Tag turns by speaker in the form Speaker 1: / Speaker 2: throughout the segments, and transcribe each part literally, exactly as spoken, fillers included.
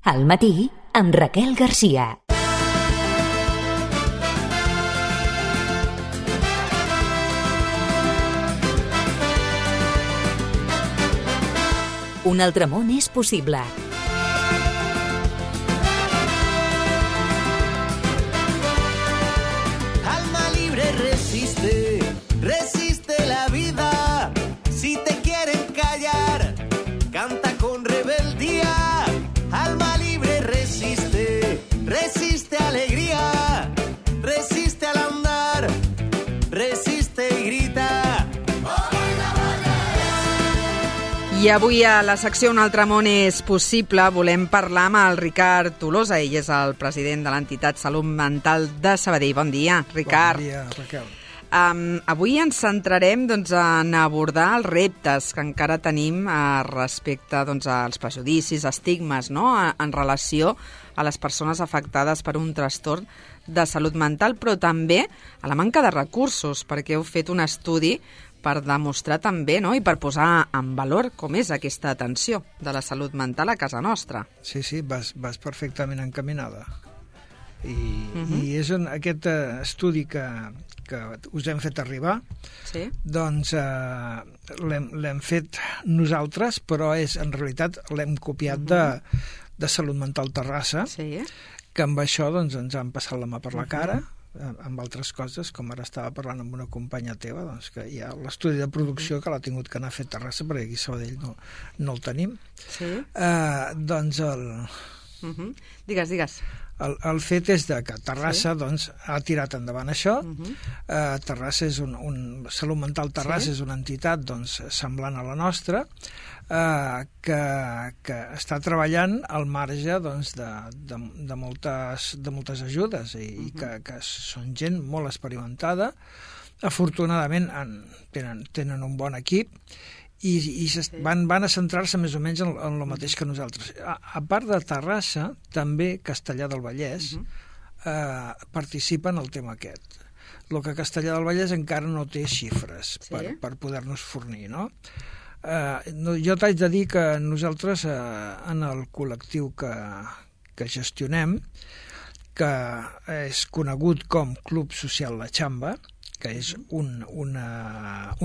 Speaker 1: Al matí, amb Raquel Garcia. Un altre món és possible.
Speaker 2: Alma libre resiste, resiste la vida. Si te quieren callar, canta con rebeldía. Alma libre resiste, resiste alegría, resiste al andar, resiste y grita.
Speaker 3: I avui a la secció Un altre món és possible volem parlar amb el Ricard Tolosa. Ell és el president de l'entitat Salut Mental de Sabadell. Bon dia, Ricard.
Speaker 4: Bon dia, Raquel.
Speaker 3: Um, avui ens centrarem doncs, en abordar els reptes que encara tenim uh, respecte doncs, als prejudicis, estigmes, no? en relació a les persones afectades per un trastorn de salut mental, però també a la manca de recursos, perquè heu fet un estudi per demostrar també, no?, i per posar en valor com és aquesta atenció de la salut mental a casa nostra.
Speaker 4: Sí, sí, vas, vas perfectament encaminada. I,
Speaker 3: Uh-huh.
Speaker 4: i és un, aquest uh, estudi que, que us hem fet arribar,
Speaker 3: Sí?
Speaker 4: doncs uh, l'hem, l'hem fet nosaltres, però és en realitat l'hem copiat
Speaker 3: Uh-huh.
Speaker 4: de, de Salut Mental Terrassa,
Speaker 3: Sí.
Speaker 4: que amb això doncs, ens han passat la mà per la cara, amb altres coses, com ara estava parlant amb una companya teva, doncs que hi ha l'estudi de producció que l'ha tingut que anar a fer a Terrassa, perquè aquí a Sabadell no, no el tenim.
Speaker 3: Sí?
Speaker 4: Uh, doncs el,
Speaker 3: Uh-huh. Digues, digues.
Speaker 4: el, el fet és de que Terrassa sí. doncs, ha tirat endavant això.
Speaker 3: Uh-huh.
Speaker 4: uh, Terrassa és un, un... Salut Mental Terrassa
Speaker 3: Sí.
Speaker 4: és una entitat doncs, semblant a la nostra, uh, que, que està treballant al marge doncs, de, de, de, moltes, de moltes ajudes i, uh-huh. i que, que són gent molt experimentada. Afortunadament en, tenen, tenen un bon equip i, i sí. van, van a centrar-se més o menys en, en el mateix que nosaltres. A, a part de Terrassa, també Castellar del Vallès uh-huh. eh, participa en el tema aquest. El que Castellar del Vallès encara no té xifres
Speaker 3: Sí.
Speaker 4: per, per poder-nos fornir, no? Eh, no, jo t'haig de dir que nosaltres eh, en el col·lectiu que, que gestionem, que és conegut com Club Social La Xamba, que és un, una,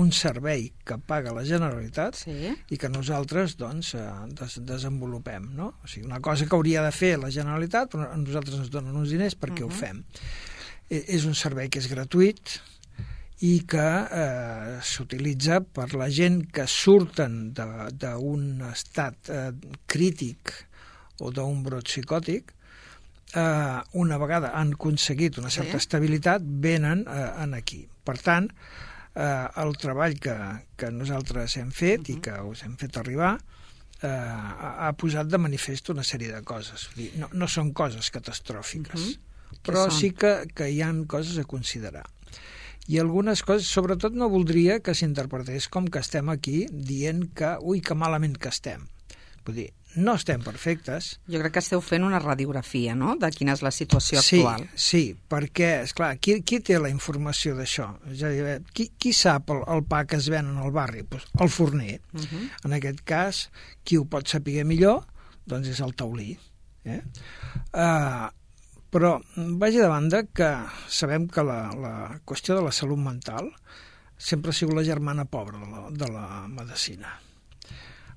Speaker 4: un servei que paga la Generalitat
Speaker 3: Sí.
Speaker 4: i que nosaltres doncs, des, desenvolupem. No? O sigui, una cosa que hauria de fer la Generalitat, però a nosaltres ens donen uns diners perquè uh-huh. ho fem. E, és un servei que és gratuït i que eh, s'utilitza per la gent que surten d'un estat eh, crític o d'un brot psicòtic. Uh, una vegada han aconseguit una certa
Speaker 3: Sí.
Speaker 4: estabilitat, venen uh, en aquí. Per tant, uh, el treball que, que nosaltres hem fet uh-huh. i que us hem fet arribar uh, ha, ha posat de manifest una sèrie de coses. Vull dir, no, no són coses catastròfiques,
Speaker 3: Uh-huh.
Speaker 4: però
Speaker 3: són?
Speaker 4: sí que, que hi ha coses a considerar. I algunes coses, sobretot no voldria que s'interpretés com que estem aquí dient que, ui, que malament que estem. Vull dir, no estem perfectes.
Speaker 3: Jo crec que esteu fent una radiografia, no?, de quina és la situació
Speaker 4: sí,
Speaker 3: actual.
Speaker 4: Sí, perquè, esclar, qui, qui té la informació d'això? És a dir, qui, qui sap el, el pa que es ven en el barri? Pues el forner.
Speaker 3: Uh-huh.
Speaker 4: En aquest cas, qui ho pot saber millor, doncs és el taulí. Eh? Uh, però vagi de banda que sabem que la, la qüestió de la salut mental sempre ha sigut la germana pobra de la, de la medicina.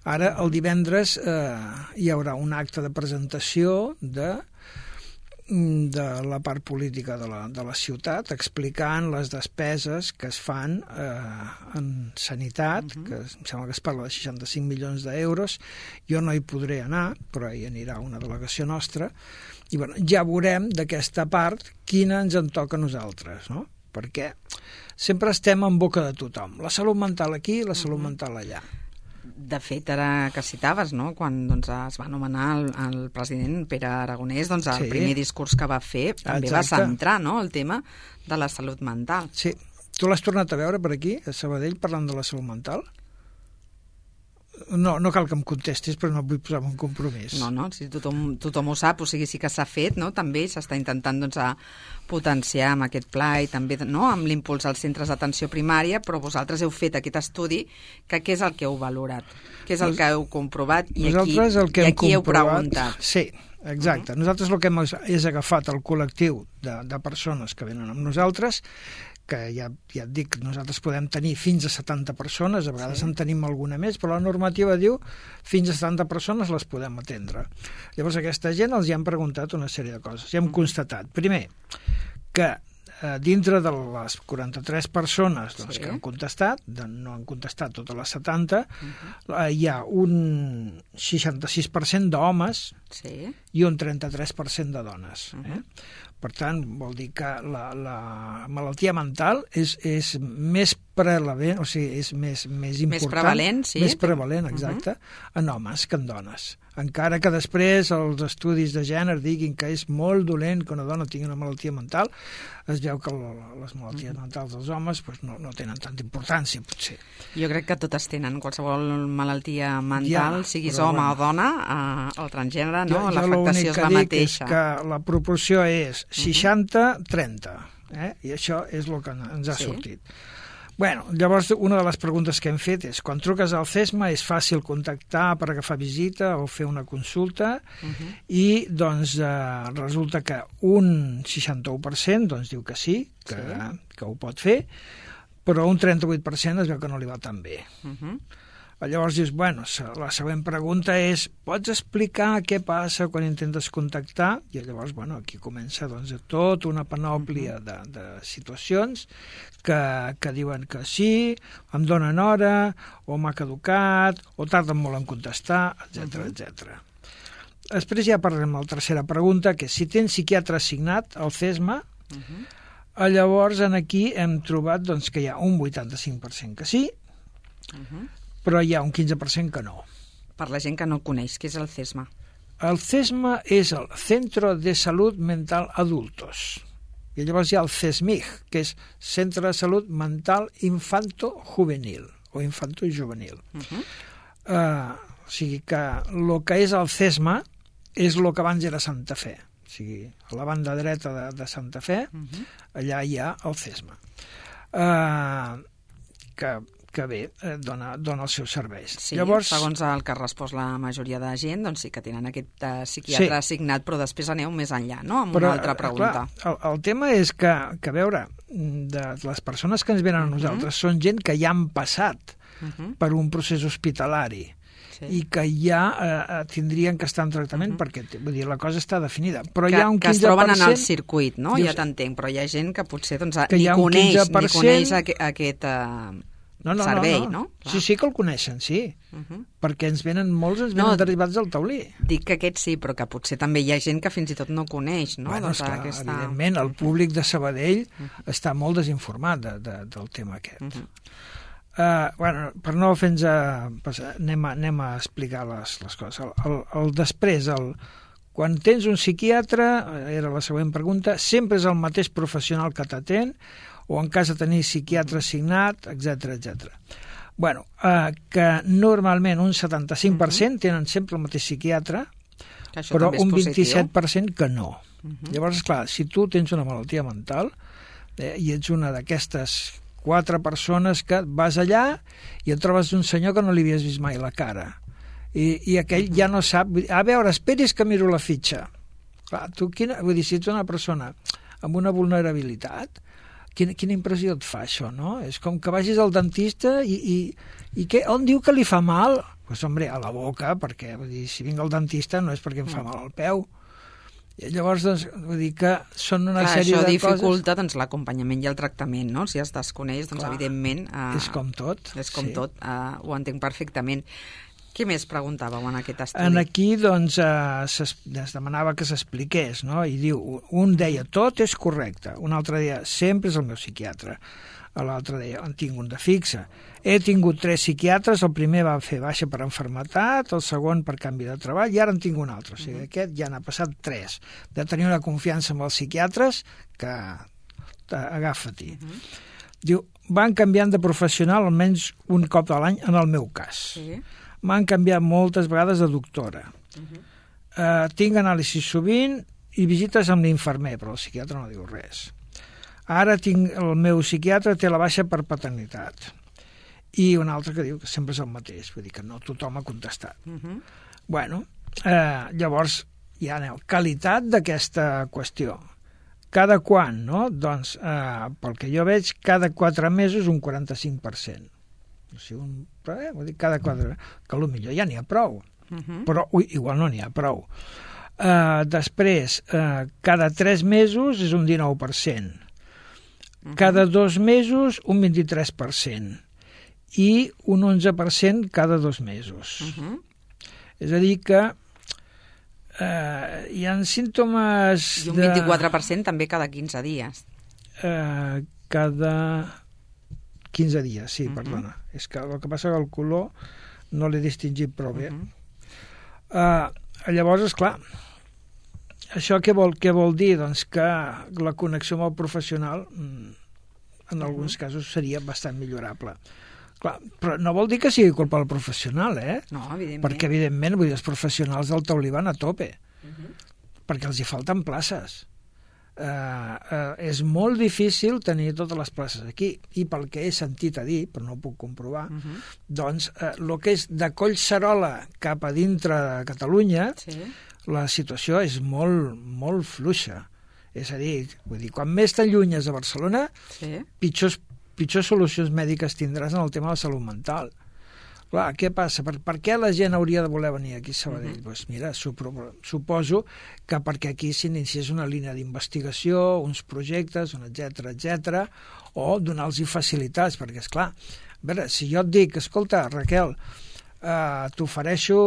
Speaker 4: Ara, el divendres, eh, hi haurà un acte de presentació de, de la part política de la, de la ciutat, explicant les despeses que es fan eh, en sanitat, uh-huh. que em sembla que es parla de seixanta-cinc milions d'euros. Jo no hi podré anar, però hi anirà una delegació nostra, i bueno, ja veurem d'aquesta part quina ens en toca a nosaltres, no? Perquè sempre estem en boca de tothom. La salut mental aquí, la salut uh-huh. mental allà.
Speaker 3: De fet, ara que citaves, no?, quan doncs, es va anomenar el, el president Pere Aragonès, doncs, el
Speaker 4: Sí.
Speaker 3: primer discurs que va fer també
Speaker 4: Exacte.
Speaker 3: va centrar, no?, el tema de la salut mental.
Speaker 4: Sí. Tu l'has tornat a veure per aquí, a Sabadell, parlant de la salut mental? No, no cal que em contestis, però no vull posar un compromís.
Speaker 3: No, no, si tothom, tothom ho sap, o sigui, sí que s'ha fet, no?, també s'està intentant, doncs, a potenciar amb aquest pla i també, no?, amb l'impuls als centres d'atenció primària, però vosaltres heu fet aquest estudi, que què és el que heu valorat? Què és el que heu comprovat i aquí,
Speaker 4: Nosaltres el que
Speaker 3: i
Speaker 4: hem
Speaker 3: aquí heu
Speaker 4: comprovat,
Speaker 3: preguntat?
Speaker 4: Sí, exacte. Uh-huh. Nosaltres el que hem és agafat el col·lectiu de, de persones que venen amb nosaltres, que ja, ja et dic, nosaltres podem tenir fins a setanta persones, a vegades sí. en tenim alguna més, però la normativa diu fins a setanta persones les podem atendre. Llavors aquesta gent els hi han preguntat una sèrie de coses. I hem constatat, primer, que eh, dintre de les quaranta-tres persones doncs, sí. que han contestat, de, no han contestat totes les setanta, uh-huh. eh, hi ha un seixanta-sis per cent d'homes sí. i un trenta-tres per cent de dones. Uh-huh. Eh? Per tant, vol dir que la, la malaltia mental és, és més prevalent, o sigui, és més, més important...
Speaker 3: Més prevalent, sí.
Speaker 4: Més prevalent, exacte, uh-huh. en homes que en dones. Encara que després els estudis de gènere diguin que és molt dolent que una dona tingui una malaltia mental, es veu que les malalties uh-huh. mentals dels homes pues, no, no tenen tanta importància, potser.
Speaker 3: Jo crec que totes tenen qualsevol malaltia mental, ja, siguis home bueno. o dona, eh, el transgènere, no?
Speaker 4: Jo,
Speaker 3: l'afectació és la mateixa.
Speaker 4: Jo l'únic que dic és que la proporció és seixanta trenta, eh? I això és el que ens ha sí. sortit. Bueno, llavors una de les preguntes que hem fet és quan truques al CESMA és fàcil contactar per agafar visita o fer una consulta uh-huh. i doncs eh, resulta que un seixanta-u per cent doncs, diu que sí, que, sí, que ho pot fer, però un trenta-vuit per cent es veu que no li va tan bé. Uh-huh. Llavors dius, bueno, la següent pregunta és, pots explicar què passa quan intentes contactar? I llavors, bueno, aquí comença doncs, tota una panòplia de, de situacions que, que diuen que sí, em donen hora, o m'ha caducat, o tarden molt en contestar, etcètera, uh-huh. etcètera. Després ja parlarem de la tercera pregunta, que és si tens psiquiatre assignat al CESMA, uh-huh. llavors aquí hem trobat doncs, que hi ha un vuitanta-cinc per cent que sí, uh-huh. però hi ha un quinze per cent que no.
Speaker 3: Per la gent que no coneix, què és el CESMA?
Speaker 4: El CESMA és el Centro de Salud Mental Adultos. I llavors hi ha el CESMIG, que és Centre de Salut Mental Infanto-Juvenil, o Infanto-Juvenil. Uh-huh. Uh, o sigui que el que és el CESMA és el que abans era Santa Fe. O sigui, a la banda dreta de, de Santa Fe, uh-huh. allà hi ha el CESMA. Uh, que que bé, eh, dona, dona els seus serveis.
Speaker 3: Sí, llavors, segons el que ha respost la majoria de gent, doncs sí que tenen aquest uh, psiquiatre sí. assignat, però després aneu més enllà, no?, amb però, una altra pregunta.
Speaker 4: Clar, el, el tema és que, que, a veure, de les persones que ens venen a nosaltres uh-huh. són gent que ja han passat uh-huh. per un procés hospitalari sí. i que ja eh, tindrien que estar en tractament uh-huh. perquè, vull dir, la cosa està definida. Però
Speaker 3: que,
Speaker 4: hi ha un
Speaker 3: que
Speaker 4: quinze per cent...
Speaker 3: Que es troben en el circuit, no?,
Speaker 4: dius,
Speaker 3: ja t'entenc, però hi ha gent que potser doncs,
Speaker 4: que
Speaker 3: ni, coneix, ni coneix
Speaker 4: cent...
Speaker 3: aquest... Uh...
Speaker 4: No, no,
Speaker 3: servei,
Speaker 4: no, no.
Speaker 3: no?
Speaker 4: Sí, sí que el coneixen, sí. Uh-huh. Perquè ens venen molts, ens venen no, derivats del taulí.
Speaker 3: Dic que aquest sí, però que potser també hi ha gent que fins i tot no coneix, no?
Speaker 4: Bueno,
Speaker 3: doncs
Speaker 4: esclar,
Speaker 3: aquesta...
Speaker 4: evidentment, el públic de Sabadell uh-huh. està molt desinformat de, de, del tema aquest. Uh-huh. Uh, bueno, per no fer-nos a passar, anem a, anem a explicar les, les coses. El, el, el després, el, quan tens un psiquiatre, era la següent pregunta, sempre és el mateix professional que t'atén, o en cas de tenir psiquiatre assignat, etcètera, etcètera. Bueno, eh, que normalment un setanta-cinc per cent tenen sempre el mateix psiquiatre, però un vint-i-set per cent que no. Uh-huh. Llavors, clar, si tu tens una malaltia mental eh, i ets una d'aquestes quatre persones que vas allà i et trobes un senyor que no li havies vist mai la cara, i, i aquell uh-huh. ja no sap... A veure, esperis que miro la fitxa. Clar, tu, quina, vull dir, si ets una persona amb una vulnerabilitat, Quina, quina impressió et fa això, no? És com que vagis al dentista i, i, i què? On diu que li fa mal? Doncs, pues, hombre, a la boca, perquè vull dir, si vinc al dentista no és perquè em fa mal al peu. I llavors, doncs, vull dir que són una
Speaker 3: Clar,
Speaker 4: sèrie de coses...
Speaker 3: Això dificulta doncs, l'acompanyament i el tractament, no? Si es desconeix, doncs, Clar, evidentment... Eh,
Speaker 4: és com tot.
Speaker 3: És com
Speaker 4: sí.
Speaker 3: tot, eh, ho entenc perfectament. Què més preguntàveu en aquest estudi?
Speaker 4: En aquí, doncs, eh, es demanava que s'expliqués, no? I diu, un deia, tot és correcte, un altre deia, sempre és el meu psiquiatre, l'altre deia, en tinc un de fixe. He tingut tres psiquiatres, el primer va fer baixa per enfermetat, el segon per canvi de treball, i ara en tinc un altre. O sigui, uh-huh. aquest ja n'ha passat tres. De tenir una confiança amb els psiquiatres, que agafa-t'hi. Uh-huh. Diu, van canviant de professional almenys un cop a l'any, en el meu cas. Sí. M'han canviat moltes vegades de doctora. Uh-huh. Uh, tinc anàlisis sovint i visites amb l'infermer, però el psiquiatre no diu res. Ara tinc el meu psiquiatre té la baixa per paternitat. I un altre que diu que sempre és el mateix, vull dir que no tothom ha contestat. Uh-huh. Bueno, eh, llavors ja aneu, qualitat d'aquesta qüestió. Cada quan, no? Doncs, eh, pel que jo veig, cada quatre mesos un quaranta-cinc per cent. O sigui, un, eh, vull dir, cada quatre... Que potser ja n'hi ha prou. Uh-huh. Però ui, igual no n'hi ha prou. Eh, després, eh, cada tres mesos és un dinou per cent. Uh-huh. Cada dos mesos un vint-i-tres per cent. I un onze per cent cada dos mesos. Uh-huh. És a dir que Uh, hi ha símptomes...
Speaker 3: I un vint-i-quatre per cent de... també cada quinze dies.
Speaker 4: Uh, cada quinze dies, sí, uh-huh. Perdona. És que el que passa que el color no l'he distingit prou bé. Uh-huh. Uh, llavors, esclar, això què vol, què vol dir? Doncs que la connexió amb el professional en alguns uh-huh. casos seria bastant millorable. Clar, però no vol dir que sigui culpa del professional, eh?
Speaker 3: No, evidentment.
Speaker 4: Perquè, evidentment, vull dir, els professionals del taulí van a tope, uh-huh. perquè els hi falten places. Uh, uh, és molt difícil tenir totes les places aquí, i pel que he sentit a dir, però no ho puc comprovar, uh-huh. doncs el uh, que és de Collserola cap a dintre de Catalunya, sí. La situació és molt, molt fluixa. És a dir, vull dir, quan més t'allunyes de Barcelona, sí. pitjors pitjors solucions mèdiques tindràs en el tema de la salut mental. Clar, què passa? Per, per què la gent hauria de voler venir aquí a Sabadell? Uh-huh. Pues mira, suposo que perquè aquí s'iniciés una línia d'investigació, uns projectes, un etcètera, etcètera, o donar-los facilitats, perquè, esclar, a veure, si jo et dic, escolta, Raquel, eh, t'ofereixo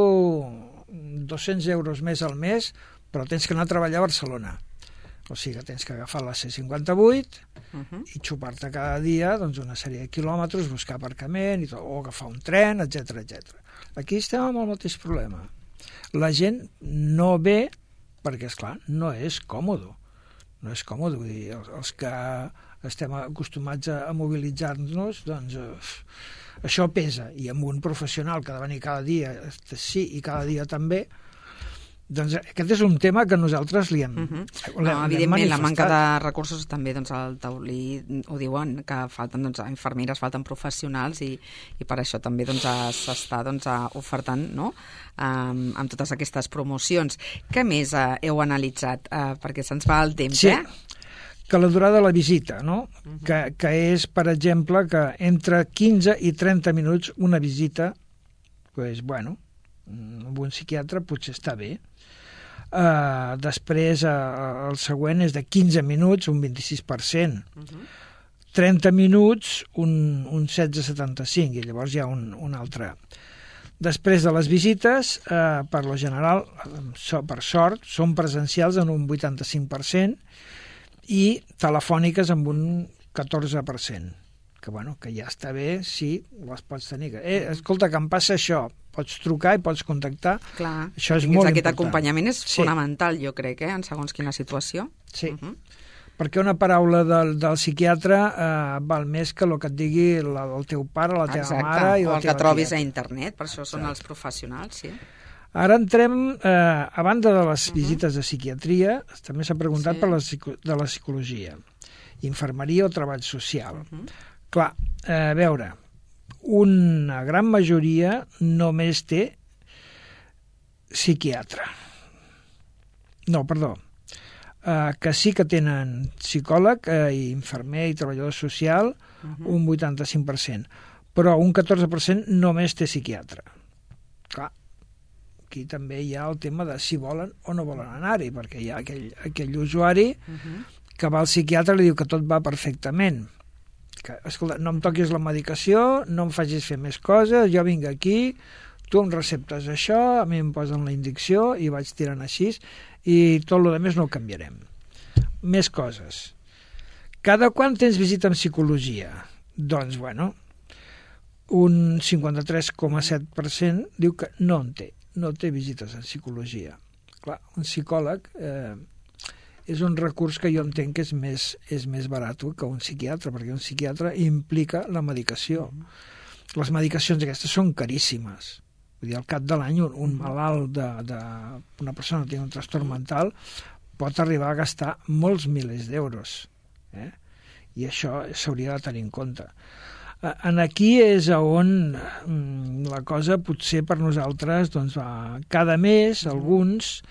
Speaker 4: dos-cents euros més al mes, però tens que anar a treballar a Barcelona. O sigui que tens que agafar la C cinquanta-vuit uh-huh. i xupar-te cada dia doncs, una sèrie de quilòmetres, buscar aparcament, i tot, o agafar un tren, etcètera, etcètera. Aquí estem amb el mateix problema. La gent no ve perquè, esclar, no és còmode. No és còmode, vull dir, els, els que estem acostumats a, a mobilitzar-nos, doncs eh, això pesa. I amb un professional que ha de venir cada dia, sí, i cada dia també, doncs aquest és un tema que nosaltres li hem, uh-huh.
Speaker 3: l'hem, no, evidentment, la manca de recursos també, doncs, al taulí ho diuen, que falten doncs, infermeres, falten professionals i, i per això també doncs, s'està doncs, ofertant, no?, um, amb totes aquestes promocions. Què més uh, heu analitzat? Uh, perquè se'ns va el temps,
Speaker 4: sí.
Speaker 3: eh?
Speaker 4: Que la durada de la visita, no? Uh-huh. que, que és, per exemple, que entre quinze i trenta minuts una visita, pues, bueno, amb un psiquiatre potser està bé. Uh, després uh, el següent és de quinze minuts, un vint-i-sis per cent. Uh-huh. trenta minuts, un, un setze coma setanta-cinc, i llavors hi ha un, un altre. Després de les visites, uh, per lo general, so, per sort, són presencials en un vuitanta-cinc per cent i telefòniques amb un catorze per cent. Que, bueno, que ja està bé si les pots tenir. Eh, escolta, que em passa això, pots trucar i pots contactar.
Speaker 3: Clar,
Speaker 4: això és molt
Speaker 3: aquest
Speaker 4: important.
Speaker 3: Acompanyament és
Speaker 4: sí.
Speaker 3: fonamental, jo crec, eh, en segons quina situació.
Speaker 4: Sí,
Speaker 3: uh-huh.
Speaker 4: perquè una paraula del, del psiquiatre eh, val més que el que et digui la, el teu pare, la teva
Speaker 3: Exacte.
Speaker 4: mare i la
Speaker 3: o el que
Speaker 4: teva
Speaker 3: trobis
Speaker 4: tieta.
Speaker 3: a internet, per això són
Speaker 4: Exacte.
Speaker 3: els professionals, sí.
Speaker 4: Ara entrem, eh, a banda de les uh-huh. visites de psiquiatria, també s'ha preguntat sí. per la, de la psicologia, infermeria o treball social. Uh-huh. Clar, eh, a veure, una gran majoria només té psiquiatre. No, perdó. Eh, que sí que tenen psicòleg, eh, i infermer i treballador social, uh-huh. un vuitanta-cinc per cent. Però un catorze per cent només té psiquiatre. Clar, aquí també hi ha el tema de si volen o no volen anar-hi, perquè hi ha aquell, aquell usuari uh-huh. que va al psiquiatre i li diu que tot va perfectament. Que, escolta, no em toquis la medicació, no em facis fer més coses, jo vinc aquí, tu em receptes això, a mi em posen la indicció i vaig tirant així i tot el que més no ho canviarem. Més coses. Cada quan tens visita en psicologia? Doncs, bueno, un cinquanta-tres coma set per cent diu que no en té, no té visites en psicologia. Clar, un psicòleg... Eh, és un recurs que jo entenc que és més, és més barat que un psiquiatre, perquè un psiquiatre implica la medicació. Mm-hmm. Les medicacions aquestes són caríssimes. Vull dir, al cap de l'any, un, un malalt de, de, una persona que té un trastorn mental pot arribar a gastar molts milers d'euros. Eh? I això s'hauria de tenir en compte. En aquí és on la cosa potser per nosaltres, doncs, va, cada mes, alguns...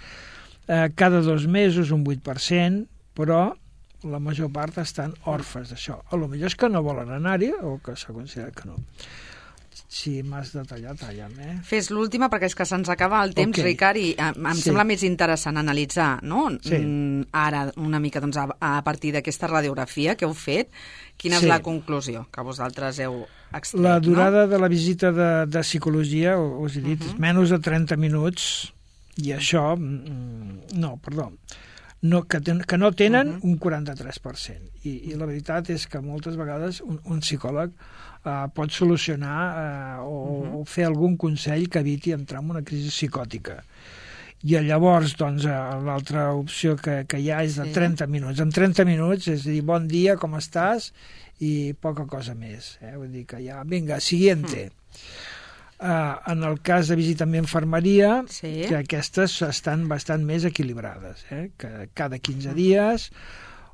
Speaker 4: eh, cada dos mesos un vuit per cent, però la major part estan orfes d'això. A lo millor és que no volen anar-hi o que s'ha considerat que no. Si m'has de tallar, talla'm, eh?
Speaker 3: Fes l'última perquè és que se'ns acaba el temps, okay. Ricard, i em, em sí. sembla més interessant analitzar, no? Sí. Mm, ara una mica doncs, a, a partir d'aquesta radiografia que heu fet, quina sí. és la conclusió que vosaltres heu extret?
Speaker 4: La durada no? de la visita de, de psicologia, us he dit, uh -huh. és menys de trenta minuts, i això, mm, no, perdó, no, que, ten, que no tenen uh -huh. un quaranta-tres per cent. I, I la veritat és que moltes vegades un, un psicòleg Uh, pot solucionar uh, o, uh-huh. o fer algun consell que eviti entrar en una crisi psicòtica. I llavors, doncs, uh, l'altra opció que, que hi ha és de sí. trenta minuts. En trenta minuts, és a dir, bon dia, com estàs? I poca cosa més. Eh? Vull dir que ja, vinga, siguiente. Uh. Uh, en el cas de visita amb infermeria, sí. que aquestes estan bastant més equilibrades. Eh? Que cada quinze uh-huh. dies...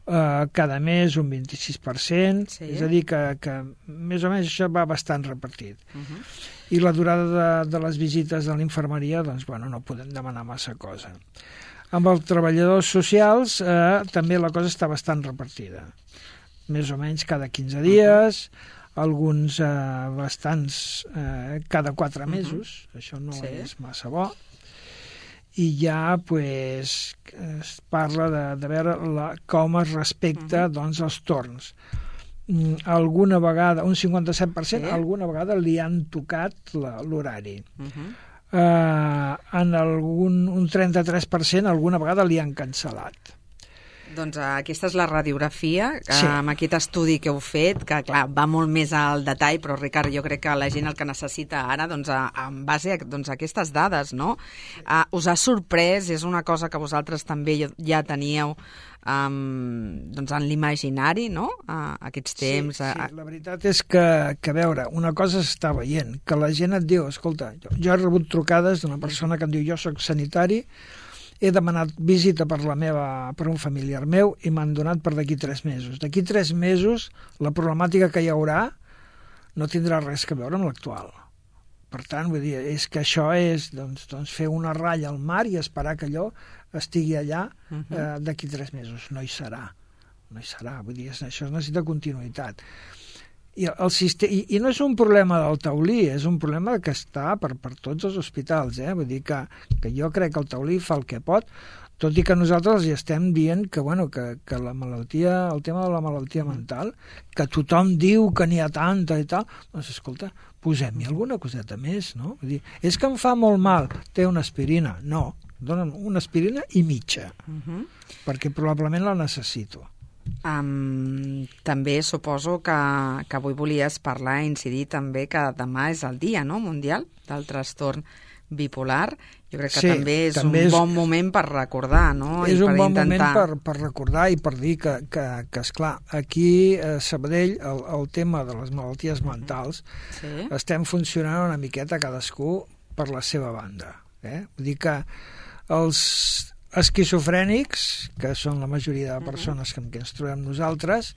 Speaker 4: Uh, cada mes un vint-i-sis per cent, sí. és a dir que, que més o menys això va bastant repartit. Uh-huh. I la durada de, de les visites de l'infermeria, doncs, bueno, no podem demanar massa cosa. Amb els treballadors socials eh, també la cosa està bastant repartida. Més o menys cada quinze dies, uh-huh. alguns eh, bastants eh, cada quatre mesos, uh-huh. això no sí. és massa bo. I ja pues, es parla de, de veure la, com es respecta uh-huh. doncs, els torns. Mm, alguna vegada, un cinquanta-set per cent, sí. alguna vegada li han tocat l'horari. Uh-huh. uh, en algun, un trenta-tres per cent alguna vegada li han cancel·lat.
Speaker 3: Doncs aquesta és la radiografia,
Speaker 4: sí.
Speaker 3: amb aquest estudi que heu fet, que clar, va molt més al detall, però Ricard, jo crec que la gent el que necessita ara, doncs, a, en base a doncs, aquestes dades, no? Uh, us ha sorprès, és una cosa que vosaltres també ja teníeu um, doncs, en l'imaginari, no? Uh, aquests temps...
Speaker 4: Sí, sí, la veritat és que, que, a veure, una cosa s'està veient, que la gent et diu, escolta, jo, jo he rebut trucades d'una persona que em diu, jo soc sanitari, he demanat visita per la meva per un familiar meu i m'han donat per d'aquí tres mesos. D'aquí tres mesos la problemàtica que hi haurà no tindrà res a veure amb l'actual. Per tant, vull dir, és que això és doncs, doncs fer una ratlla al mar i esperar que allò estigui allà uh-huh. eh, d'aquí tres mesos. No hi serà. No hi serà. Vull dir, això necessita continuïtat. I, el sistema, i, i no és un problema del taulí, és un problema que està per, per tots els hospitals, eh? Vull dir que, que jo crec que el taulí fa el que pot, tot i que nosaltres els estem dient que, bueno, que, que la malaltia, el tema de la malaltia mental, que tothom diu que n'hi ha tanta i tal, doncs escolta, posem-hi alguna coseta més, no? Vull dir, és que em fa molt mal, té una aspirina. No, dona'm una aspirina i mitja, uh-huh. perquè probablement la necessito.
Speaker 3: Um, també suposo que, que avui volies parlar i incidir també que demà és el dia, no?, mundial del trastorn bipolar. Jo crec que sí, també és també un és, bon moment per recordar, no?
Speaker 4: És
Speaker 3: I
Speaker 4: un
Speaker 3: per
Speaker 4: bon
Speaker 3: intentar...
Speaker 4: moment per, per recordar i per dir que, que, que esclar, aquí a Sabadell el, el tema de les malalties mentals sí. estem funcionant una miqueta cadascú per la seva banda. Eh? Vull dir que els esquizofrènics, que són la majoria de persones que, que ens trobem nosaltres,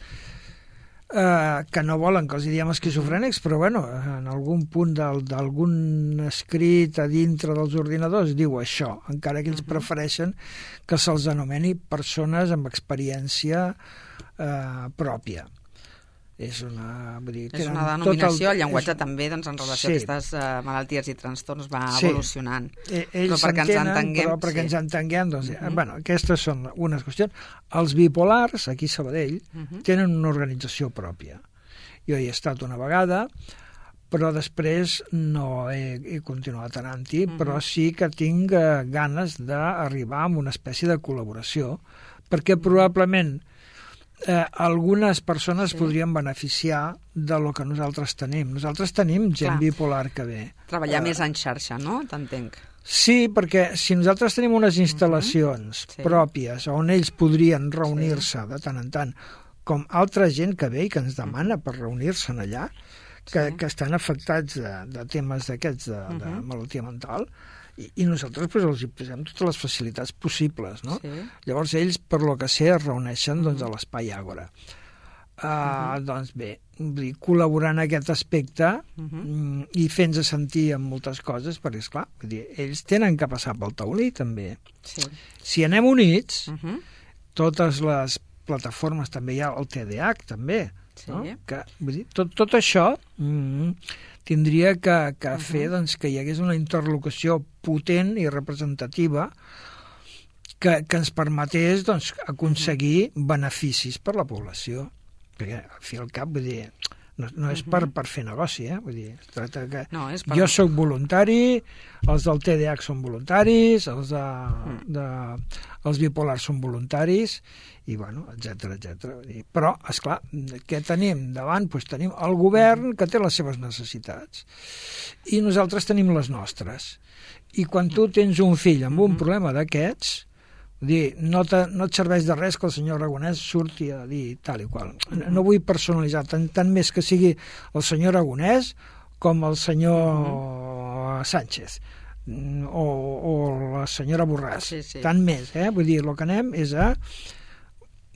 Speaker 4: eh, que no volen que els diguem esquizofrènics, però bueno, en algun punt d'algun escrit a dintre dels ordinadors diu això, encara que ells prefereixen que se'ls anomeni persones amb experiència eh, pròpia. És una, vull dir,
Speaker 3: és una denominació, el, el llenguatge és... també doncs, en relació sí. a aquestes uh, malalties i trastorns va sí. evolucionant.
Speaker 4: Eh, ells però perquè ens entenguem... Però perquè sí. ens entenguem, doncs, uh-huh. bueno, aquestes són unes qüestions. Els bipolars, aquí a Sabadell, uh-huh. tenen una organització pròpia. Jo hi he estat una vegada, però després no he, he continuat anant-hi, uh-huh. però sí que tinc uh, ganes d'arribar a una espècie de col·laboració, perquè probablement Eh, algunes persones sí. podrien beneficiar de lo que nosaltres tenim. Nosaltres tenim gent Clar. bipolar que ve.
Speaker 3: Treballar eh, més en xarxa, no? T'entenc.
Speaker 4: Sí, perquè si nosaltres tenim unes instal·lacions uh-huh. sí. pròpies on ells podrien reunir-se sí. de tant en tant, com altra gent que ve i que ens demana per reunir-se'n allà, que, sí. que estan afectats de, de temes d'aquests de, uh-huh. de malaltia mental, I, i nosaltres pues, els hi posem totes les facilitats possibles, no? Sí. Llavors ells, per lo que sé, es reuneixen doncs, a l'Espai Àgora. Uh, uh-huh. Doncs bé, vull dir, col·laborar en aquest aspecte uh-huh. i fent-se sentir en moltes coses, perquè, esclar, vull dir, ells tenen que passar pel taulí, també.
Speaker 3: Sí.
Speaker 4: Si anem units,
Speaker 3: Uh-huh.
Speaker 4: totes les plataformes, també hi ha el T D A H, també,
Speaker 3: Sí.
Speaker 4: no? Que, vull dir, tot, tot això mm, tindria que, que uh-huh. fer doncs, que hi hagués una interlocució potent i representativa que, que ens permetés doncs, aconseguir uh-huh. beneficis per la població. Perquè, al fi i al cap, vull dir, no, no és per, per fer negoci, eh? Vull dir, es tracta que
Speaker 3: No, és per...
Speaker 4: jo sóc voluntari, els del T D A H són voluntaris, els, de, de, els bipolars són voluntaris, i bueno, etcètera, etcètera. Però, esclar, què tenim davant? Doncs tenim el govern que té les seves necessitats i nosaltres tenim les nostres. I quan tu tens un fill amb un problema d'aquests, vull dir, no, te, no et serveix de res que el senyor Aragonès surti a dir tal i qual. No vull personalitzar, tant, tant més que sigui el senyor Aragonès com el senyor Sánchez o, o la senyora Borràs.
Speaker 3: Sí, sí.
Speaker 4: Tant més, eh? Vull dir, el que anem és a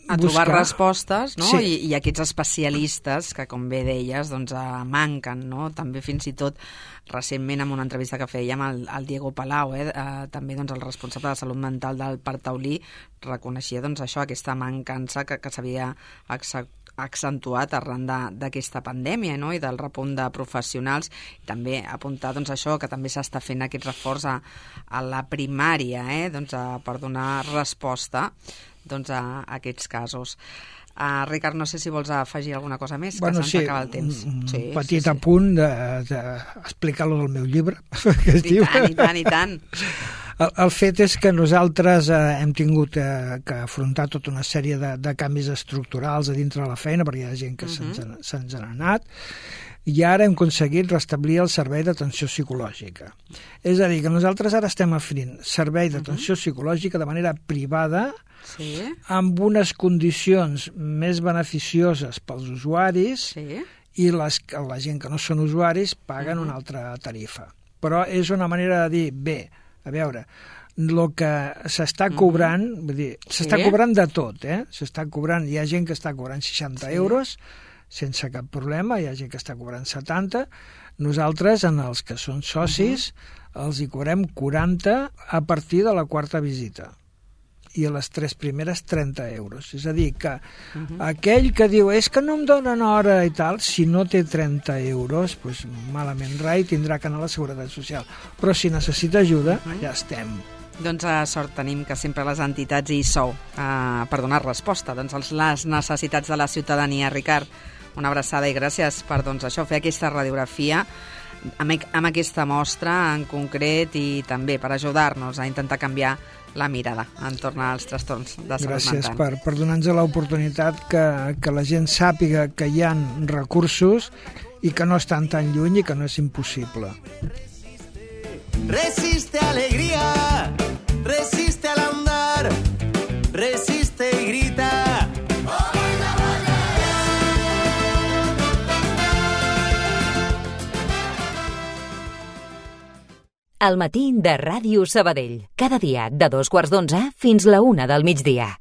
Speaker 3: a trobar
Speaker 4: buscar
Speaker 3: respostes, no?
Speaker 4: Sí.
Speaker 3: I, i aquests especialistes que, com bé deies, doncs, eh, manquen, no? També fins i tot recentment en una entrevista que fèiem al, al Diego Palau, eh, eh, també doncs, el responsable de salut mental del Parc Taulí, reconeixia doncs, això, aquesta mancança que, que s'havia accentuat arran d'aquesta pandèmia, no? I del repunt de professionals, i també apuntar doncs, això, que també s'està fent aquest reforç a, a la primària, eh? doncs, a, per donar resposta doncs, a, a aquests casos. Uh, Ricard, no sé si vols afegir alguna cosa més, que
Speaker 4: bueno,
Speaker 3: se'ns
Speaker 4: sí,
Speaker 3: acaba el temps.
Speaker 4: Un
Speaker 3: sí,
Speaker 4: petit
Speaker 3: sí, sí.
Speaker 4: apunt d'explicar-lo de, del meu llibre, que es
Speaker 3: I
Speaker 4: diu...
Speaker 3: tant, i tant, i tant.
Speaker 4: El, el fet és que nosaltres eh, hem tingut eh, que afrontar tota una sèrie de, de canvis estructurals a dintre de la feina, perquè hi ha gent que uh-huh. se'ns se n'ha anat, i ara hem aconseguit restablir el servei d'atenció psicològica. És a dir, que nosaltres ara estem oferint servei d'atenció uh-huh. psicològica de manera privada,
Speaker 3: sí.
Speaker 4: amb unes condicions més beneficioses pels usuaris,
Speaker 3: Sí.
Speaker 4: i les, la gent que no són usuaris paguen uh-huh. una altra tarifa. Però és una manera de dir, bé, a veure, el que s'està cobrant, uh-huh. vull dir, s'està
Speaker 3: Sí.
Speaker 4: cobrant de tot, eh? S'està cobrant, hi ha gent que està cobrant seixanta
Speaker 3: Sí.
Speaker 4: euros sense cap problema, hi ha gent que està cobrant setanta. Nosaltres, en els que són socis, uh-huh. els hi cobrem quaranta a partir de la quarta visita. I a les tres primeres trenta euros. És a dir, que uh-huh. aquell que diu és que no em donen hora i tal, si no té trenta euros, doncs malament rai, tindrà que anar a la Seguretat Social. Però si necessita ajuda, uh-huh. ja estem.
Speaker 3: Doncs a sort tenim que sempre les entitats hi sou eh, per donar resposta doncs, a les necessitats de la ciutadania. Ricard, una abraçada i gràcies per doncs, això, fer aquesta radiografia amb, amb aquesta mostra en concret i també per ajudar-nos a intentar canviar la mirada entorn als trastorns de salut
Speaker 4: Gràcies
Speaker 3: mental.
Speaker 4: per, per donar-nos l'oportunitat que, que la gent sàpiga que hi ha recursos i que no estan tan lluny i que no és impossible.
Speaker 2: Resiste alegría, resiste al andar, resiste y grita.
Speaker 1: Al matí de Ràdio Sabadell. Cada dia de dos quarts d'onze fins la una del migdia.